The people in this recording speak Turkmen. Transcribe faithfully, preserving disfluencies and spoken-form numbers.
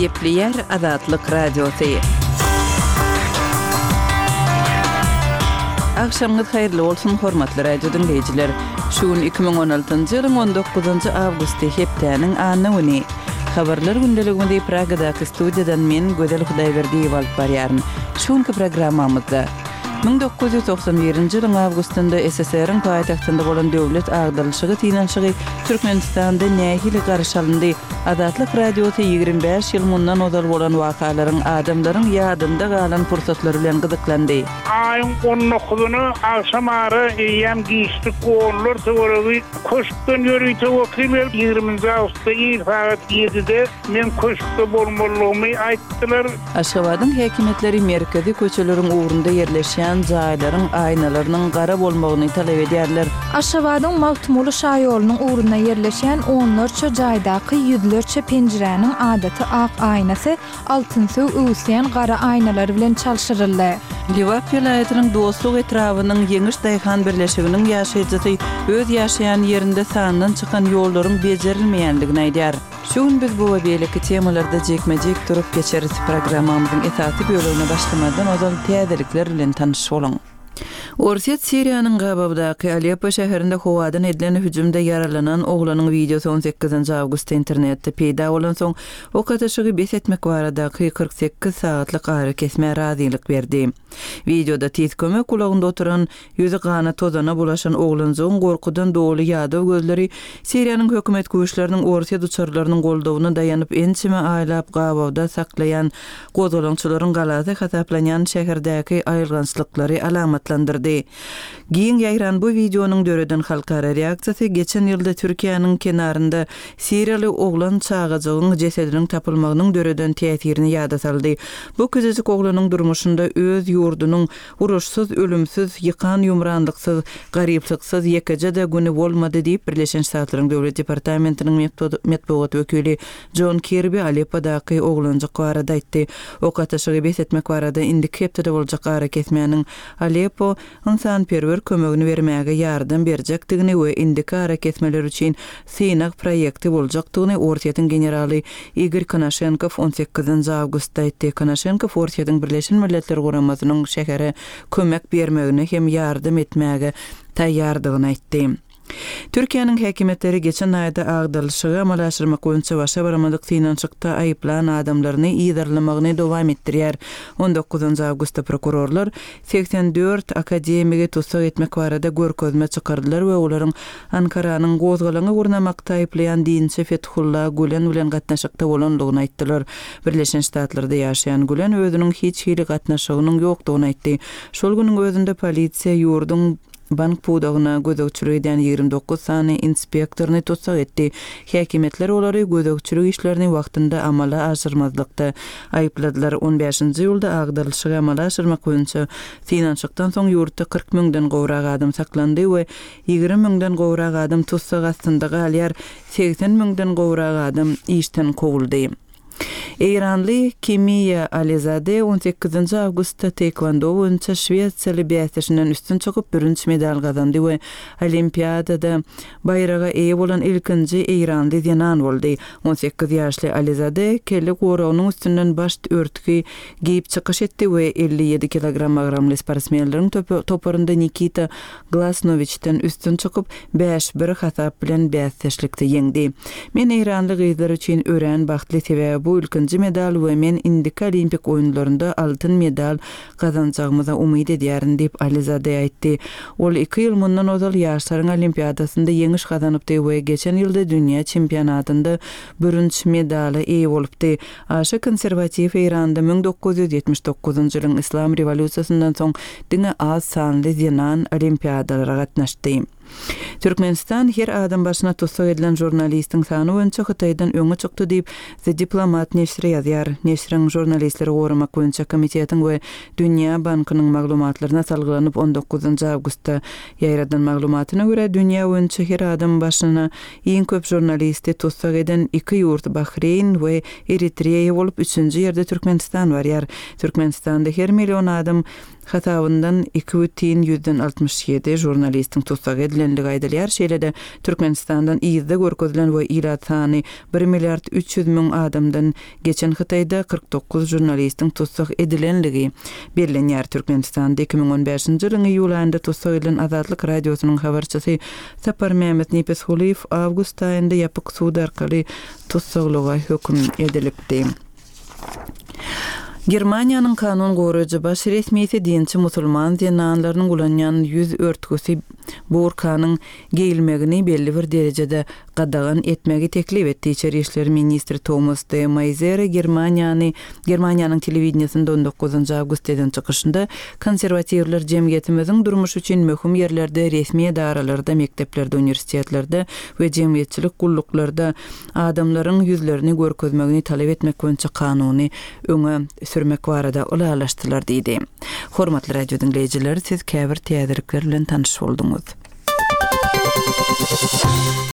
Gepleýär Azatlyk Radiosy. Agşamyňyz haýyrly bolsun, hormatly radio diňleýjiler. Şu gün iki müň on altynjy ýylyň on dokuzynjy awgusty, hepdäniň anna güni. Habarlar gündeligimizi Pragadaky studiýadan men, Gözel Hudaýberdiýewa alyp barýaryn. Şu günki programmamyzda müň dokuz ýüz togsan birinji ýylyň awgustynda S S R-iň paýtagtynda bolan döwlet agdarylyşygy synanyşygy Türkmenistanda nähili garşy alyndy? Azatlyk Radiosy ýigrimi bäş ýyl mundan ozal bolan wakalaryň adamlaryň ýadynda galan pursatlary bilen gyzyklandy. Aýyň on dokuzyna agşam ara eýýäm giçlik onlar töweregi köşkden ýörite wekil gelip, ýigriminji awgustda ir sagat ýedide men köşkde bolmalygymy aýtdylar. Aşgabadyň häkimiýetleri merkezi köçeleriň ugrunda ýerleşýän jaýlaryň aýnalarynyň gara bolmagyny talap edýärler. Aşgabadyň Magtymguly şaýolunyň ugrunda ýerleşýän onlarça jaýdaky ýüzlerçe penjiräniň adaty ak aýnasy altynsöw öwüsýän gara aýnalar bilen çalşyryldy. Lebap welaýatynyň Dostluk etrabynyň Ýeňiş Daýhan birleşiginiň ýaşaýjysy öz ýaşaýan ýerinde sandan çykan ýollaryň bejerilmeýändigini aýdýar. Şu gün biz bu we beýleki temalarda jekme-jek durup geçeris. Programmamyzyň esasy bölegine başlamadan ozal täzelikler bilen tanyş boluň. Orsýet Siriýanyň gabawdaky Aleppo şäherinde howadan edilen hüjümde ýaralanan oglanyň wideosy on sekizinji awgustda internetde peýda bolan soň ok atyşygy bes etmek baradaky kyrk sekiz sagatlyk arakesmä razylyk berdi. Wideoda tiz kömek ulagynda oturan, ýüzi gana tozana bulaşan oglanjygyň gorkudan doly ýadaw gözleri Siriýanyň hökümet güýçleriniň Orsýet uçarlarynyň goldawyna daýanyp ençeme aýlap gabawda saklaýan gozgalaňçylaryň galasy hasaplanýan şäherdäki aýylgançlyklary alamatlandyrdy. Giň ýaýran bu wideonyň döreden halkara reaksiýasy geçen ýylda Türkiýäniň kenarynda Siriýaly oglan çagajygyň jesediniň tapylmagynyň döreden täsirini ýada saldy. Bu küjüjik oglanyň durmuşynda öz ýurdunyň uruşsyz, ölümsiz, ýykan ýumranlyksyz, garyplyksyz ýekeje-de güni bolmady diýip Birleşen Ştatlaryň Döwlet Departamentiniň metbugat wekili John Kirby Aleppodaky oglanjyk barada aýtdy. Ok atyşygy bes etmek barada indiki hepdede boljak arakesmäniň Aleppo ynsanperwer kömegini bermäge ýardam berjekdigini we indiki arakesmeler üçin synag proýekti boljakdygyny Orsýetiň generaly Igor Konaşenkow on sekizinji awgustda aýtdy. Konaşenkow Orsýetiň Birleşen Milletler Guramasynyň şähere kömek bermegine hem ýardam etmäge taýýardygyny aýtdy. Türkiýäniň häkimiýetleri geçen aýda agdarylyşygy amala aşyrmak boýunça başa baramadyk synanyşykda aýyplan adamlaryny yzarlamagyny dowam etdirýär. on dokuzynjy awgustda prokurorlar seksen dört akademigi tussag etmek barada görkezme çykardylar we olaryň Ankaranyň gozgalaňy gurnamakda aýyplaýan dinçi Fethullah Gülen bilen gatnaşykda bolandygyny aýtdylar. Birleşen Ştatlarda ýaşaýan Gülen özüniň hiç hili gatnaşygynyň ýokdugyny aýtdy. Şol günüň özünde polisiýa ýurduň bank pudagyna gözegçilik edýän ýigrimi dokuz sany inspektoryny tussag etdi. Häkimiýetler olary gözegçilik işlerini wagtynda amala aşyrmazlykda aýypladylar. on bäşinji ýylda agdarylyşygy amala aşyrmak boýunça synanyşykdan soň ýurtda kyrk müňden gowrak adam saklandy we ýigrimi müňden gowrak adam tussag astynda galýar. Seksen müňden gowrak adam işden kowuldy. Eýranly Kimiýa Alizade on sekizinji awgustda taekwondo boýunça Şwetsiýaly bäsdeşinden üstün çykyp bürünç medal gazandy we Olimpiadada baýraga eýe bolan ilkinji Eýranly zenan boldy. on sekiz ýaşly Alizade kelle goragynyň üstünden baş örtgi giýip çykyş etdi we elli ýedi kilogram agramly sportsmenleriň topa-, toparynda Nikita Glasnowiçden üstün çykyp bäş bir hasap bilen bäsdeşlikde ýeňdi. Men Eýranly gyzlar üçin örän bagtly, sebäbi bu ilkinji medal we men indiki olimpik oýunlarynda altyn medal gazanjagymyza umyt edýärin diýip Alizade aýtdy. Ol iki ýyl mundan ozal ýaşlaryň olimpiadasynda ýeňiş gazanypdy we geçen ýylda dünýä çempionatynda bürünç medala eýe bolupdy. Aşa konserwatiw Eýranda müň dokuz ýüz ýetmiş dokuzynjy ýylyň Islam rewolýusiýasyndan soň diňe az sanly zenan olimpiadalara gatnaşdy. Türkmenistan her adam başyna tussag edilen žurnalistiň sany boýunça Hytaýdan öňe çykdy diýip The Diplomat neşiri ýazýar. Neşiriň žurnalistleri goramak boýunça komitetiň we Dünýä bankynyň maglumatlaryna salgylanyp on dokuzynjy awgustda ýaýradan maglumatyna görä dünýä boýunça her adam başyna iň köp žurnalisti tussag eden iki ýurt Bahreýn we Eritreýa bolup üçünji ýerde Türkmenistan barýar. Türkmenistanda her million adam hasabyndan iki bütin ýüzden altmyş ýedi žurnalistiň tussag edilendigi aýdylýar. Şeýle-de, Türkmenistandan yzda görkezilen we ilat sany bir milliard üç ýüz müň adamdan geçen Hytaýda kyrk dokuz žurnalistiň tussag edilenligi bellenýär. Türkmenistanda iki müň on bäşinji ýylyň iýul aýynda tussag edilen Azatlyk Radiosynyň habarçysy Saparmämmet Nepesgulyýew awgust aýynda ýapyk sud arkaly tussaglyga höküm edilipdi. Germaniýanyň kanun goraýjy baş resmisi dinçi musulman zenanlarynyň ulanýan ýüz örtgüsi burkanyň geýilmegini belli bir derejede gadagan etmegi teklip etdi. Içeri işler ministri Tomas de Maizere Germaniýany Germaniýanyň telewideniýesinde on dokuzynjy awgustda eden çykyşynda konserwatiwler jemgyýetimiziň durmuşy üçin möhüm ýerlerde, resmi edaralarda, mekdeplerde, uniwersitetlerde we jemgyýetçilik gulluklarda adamlaryň ýüzlerini görkezmegini talap etmek boýunça kanuny öňe sürmek barada ylalaşdylar diýdi. Hormatly radio diňleýjiler, siz käbir täzelikler bilen tanyş bolduňyz.